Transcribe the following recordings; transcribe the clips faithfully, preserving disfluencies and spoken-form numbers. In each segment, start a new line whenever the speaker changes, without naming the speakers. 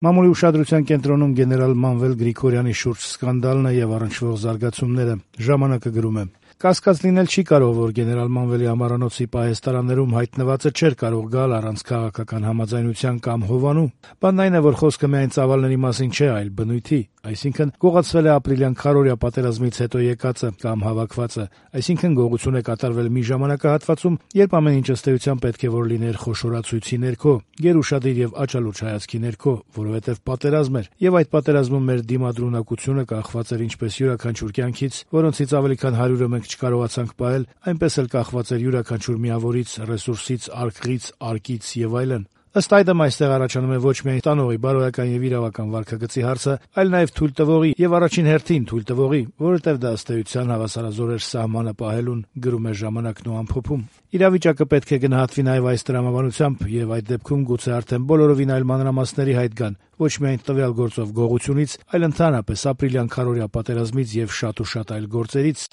Մամուլի ուշադրության կենտրոնում գեներալ Մանվել Գրիգորյանի շուրջ սկանդալն է եւ առնչվող զարգացումները։ Ժամանակը գրում է. Կասկած լինել չի կարող, որ գեներալ Մանվելի ամառանոցի պահեստարաններում հայտնվածը չէր կարող գալ առանց քաղաքական համաձայնության կամ հովանու։ Բանն այն է, որ խոսքը միայն ծավալների մասին չէ, այլ բնույթի, այսինքն գողացվել է ապրիլյան քարորյա պատերազմից հետո եկածը կամ հավաքվածը, այսինքն գողություն է կատարվել մի ժամանակահատվածում, երբ ամեն ինչ ըստ էության պետք է որ լիներ խոշորացույցի ներքո, գերուշադիր եւ աչալուչ հայացքի ներքո, որովհետեւ պատերազմ էր, եւ այդ պատերազմում մեր դիմադրունակությունը կախված էր ինչպես յուրաքանչյուր կյանքից, որոնցից ավելի քան հարյուրը մենք չկարողացանք պահել, այնպես էլ կախված էր յուրաքանչյուր միավորից, ռեսուրսից, արկղից, արկից եւ այլն։ Ըստ այդմ այստեղ առաջանում է ոչ միայն տանողի, բարոյական եւ իրավական վարքագծի հարցը, այլ նաեւ թույլտվողի եւ առաջին հերթին թույլտվողի, որովհետեւ դա ըստ էության հավասարազոր էր սահմանը պահելուն, գրում է Ժամանակն ու ամփոփում։ Իրավիճակը պետք է գնահատվի նաեւ այս տրամաբանությամբ եւ այդ դեպքում գուցե արդեն բոլորովին այլ մանրամասների հայտ գան, ոչ միայն տվյալ գործով գողությունից, այլ ընդհանրապես ապրիլյան քարորյա պատերազմից եւ շատ ու շատ այլ գործերից։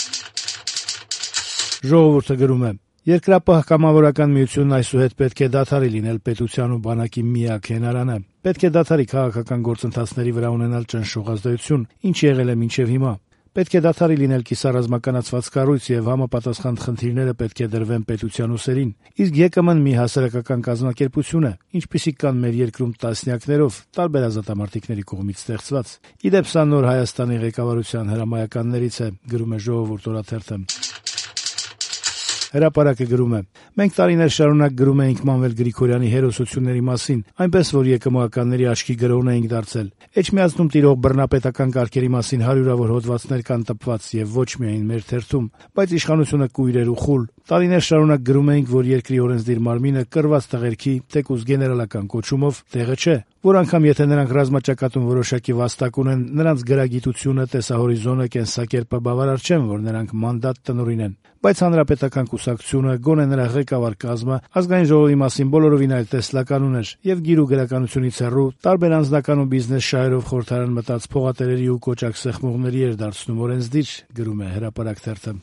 Ժողովուրդը գրում է. Երկրապահ կամավորական միությունն այսուհետ պետք է դադարի լինել պետության ու բանակի միակ հենարանը։ Պետք է դադարի քաղաքական գործընթացների վրա ունենալ ճնշող ազդեցություն, ինչ եղել է մինչև հիմա։ Պետք է դադարի լինել կիսառազմականացված կառույց եւ համապատասխան խնդիրները պետք է դրվեն պետության ուսերին։ Իսկ ԵԿՄ-ն մի հասարակական կազմակերպություն է, ինչպիսիք կան մեր երկրում տասնյակներով տարբեր ազատամարտիկների կողմից ստեղծված։ Իդեպ սա նոր Հայաստանի ղեկավարության հրամայականներից է, գրում է Ժողովուրդ օրաթերթը։ Հրապարակը գրում է. Մենք տարիներ շարունակ գրում էինք Մանվել Գրիգորյանի հերոսությունների մասին, այնպես որ ԵԿՄ-ականների աչքի գրոհն էինք դարձել։ Էջմիածնում տիրող բռնապետական կարգերի մասին հարյուրավոր հոդվածներ կան տպված եւ ոչ միայն մեր թերթում, բայց իշխանությունը կույր էր ու խուլ։ Տարիներ շարունակ գրում էինք, որ երկրի օրենսդիր մարմինը կրված տղերքի, թեկուզ գեներալական կոչումով տեղը չէ, որ անգամ եթե նրանք ռազմաճակատում որոշակի վաստակ ունեն, նրանց գրագիտությունը, տեսահորիզոնը, կենսակերպը բավարար չեն, որ նրանք մանդատ տնօրինեն։ Բայց հանրապետական կուսակցությունը, գոնե նրա ղեկավար կազմը, ազգային ժողովի մասին բոլորովին այլ տեսլական ուներ եւ գիր ու գրականությունից հեռու տարբեր անձնական ու բիզնես շահերով խորհրդարան մտած փողատերերի ու կոճակ սեղմողների էր դարձնում օրենսդիր, գրում է Հրապարակ թերթը։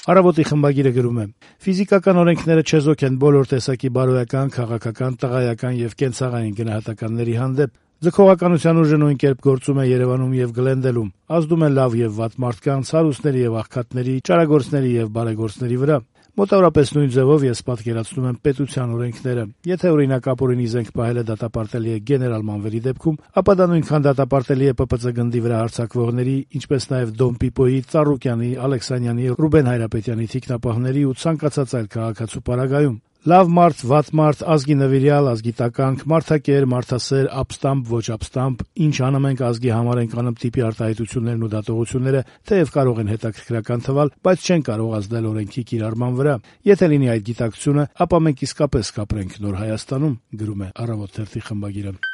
Առավոտի խմբագիրը գրում է. Ֆիզիկական օրենքները չեզոք են բոլոր տեսակի բարոյական, քաղաքական, տղայական եւ կենցաղային գնահատականների հանդեպ։ Ձգողականության ուժը նույն կերպ գործում է Երևանում եւ Գլենդելում, ազդում է լավ եւ վատ մարդկանց, հարուստների եւ աղքատների, ճարագործների եւ բարեգործների վրա։ Մոտավորապես նույն ձևով ես պատկերացնում եմ պետության օրենքները։ Եթե օրինակ ապօրինի զենք պահելը դատապարտելի է գեներալ Մանվելի դեպքում, ապա դա նույնքան դատապարտելի է ՊՊՑ գնդի վրա հարձակվողների, ինչպես նաև Դոն Պիպոյի, Ծառուկյանի, Ալեքսանյանի, Ռուբեն Հայրապետյանի թիկնապահների ու ցանկացած այլ քաղաքացու պարագայում։ Լավ մարդ, վատ մարդ, ազգի նվիրյալ, ազգի տականք, մարդակեր, մարդասեր, ապստամբ, ոչ ապստամբ, ինչ անում ենք ազգի համար ենք անում տիպի արտահայտություններն ու դատողությունները, թեև կարող են հետաքրքրական թվալ, բայց չեն կարող ազդել օրենքի կիրառման վրա։ Եթե լինի այդ գիտակցությունը, ապա մենք իսկապես կապրենք նոր Հայաստանում, գրում է Առավոտ թերթի խմբագիրը։